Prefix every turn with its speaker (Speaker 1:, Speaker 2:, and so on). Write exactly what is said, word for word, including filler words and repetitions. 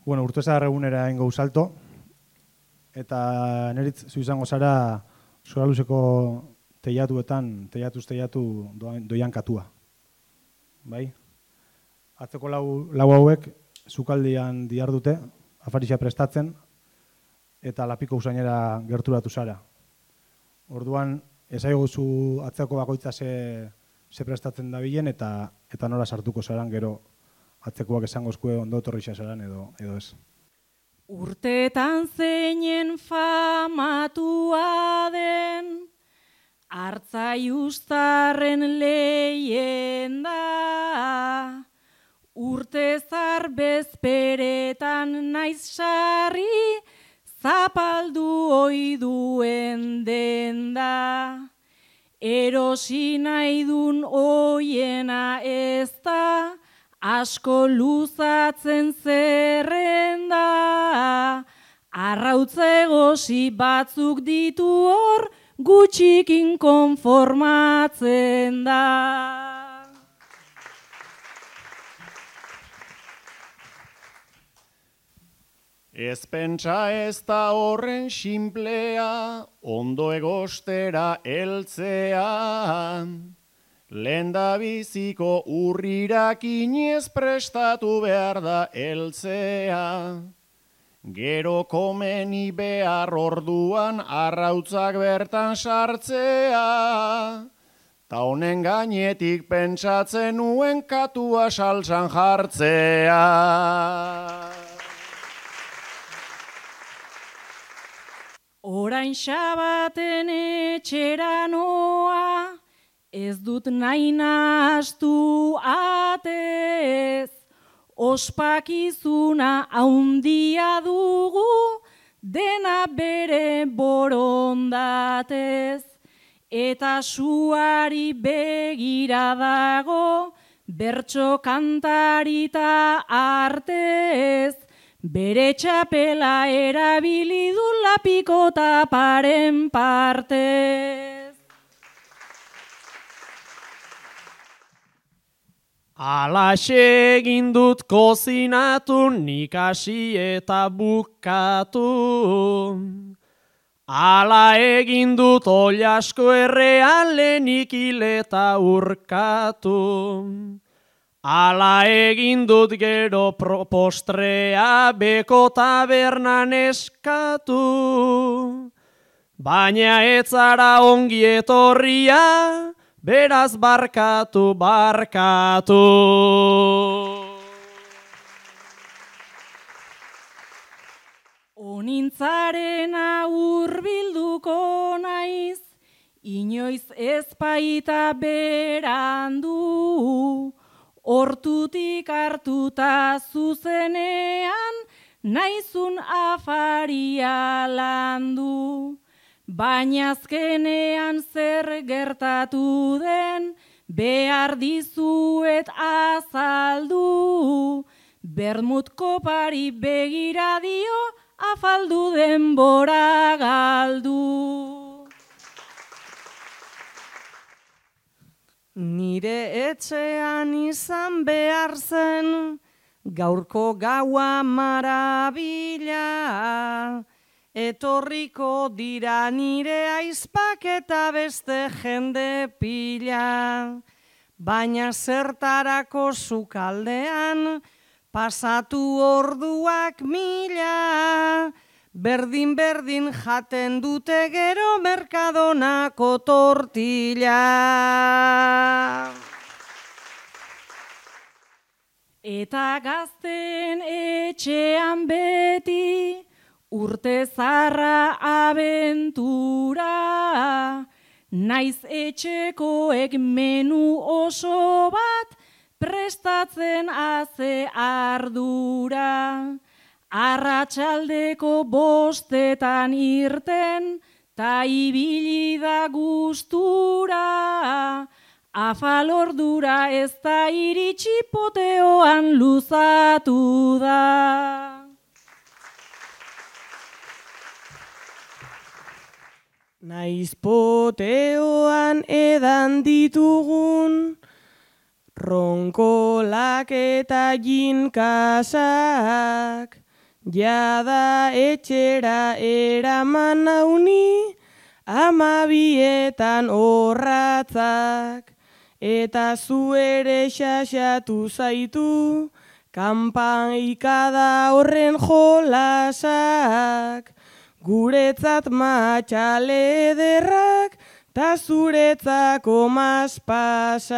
Speaker 1: Bueno, urtezar egunera ingo salto, eta neritz zu izango zara Soraluzeko teiatuetan, teiatuz teiatu doian katua. Bai? Atzeko lau, lau hauek sukaldian dihardute, afarixa prestatzen, eta lapiko usainera gerturatu zara. Orduan, ezaiguzu atzeko bakoitza ze, ze prestatzen dabilen, eta, eta nola sartuko zaran gero atzekoak esango eskue ondo etorrixa zaran edo, edo ez.
Speaker 2: Urteetan zeinen famatua den, Artzai Uztarren leyenda, urtezar bezperetan naiz sarri, zapaldu ohi duen denda. Erosi nahi dun oiena ez da, asko luzatzen zerrenda, arrautza egosi batzuk ditu hor, gutxikin konformatzen da.
Speaker 3: Ez pentsa ez da horren sinplea, ondo egostera heltzea. Lehendabiziko urrirak inez prestatu behar da heltzea. Gero komeni behar orduan arrautzak bertan sartzea. Ta honen gainetik pentsatzen nuen katua saltsan jartzea.
Speaker 2: Orain xabaten etxera noa, ez dut nahi nahastu atez, ospakizuna haundia dugu, dena bere borondatez, eta suari begira dago, bertso kantarita artez, bere txapela erabili du lapiko taparen partez.
Speaker 4: Alaxe egin dut kozinatu, nik hasi eta bukatu. Ala egin dut oilasko errean lehenik hil eta urkatu. Ala egin dut gero postrea beko tabernan eskatu. Baina ez zara ongi etorria, beraz barkatu, barkatu.
Speaker 2: Onintzarena hurbilduko naiz, inoiz ez baita berandu. Hortutik hartuta zuzenean, naizun afaria landu. Baina azkenean zer gertatu den, behar dizuet azaldu. Bermut kopari begira dio, afaldu denbora galdu.
Speaker 5: Nire etxean izan behar zen, gaurko gaua marabila. Etorriko dira nire aizpak eta beste jende pila. Baina zertarako sukaldean, pasatu orduak mila. Berdin-berdin jaten dute gero merkadonako tortilla.
Speaker 2: Eta gazten etxean beti, urte zarra abentura. Naiz etxekoek menu oso bat, prestatzen haze ardura. Arratsaldeko bostetan irten, ta ibili da gustura. Afalordura ez da iritsi poteoan luzatu da.
Speaker 5: Naiz poteoan edan ditugun, ronkolak eta jinkasak. jada etxera eraman nauni, amabietan horratzak, eta zu ere xaxatu zaitu, kanpaikada horren jolasak, guretzat matxale ederrak, ta zuretzako maspasak.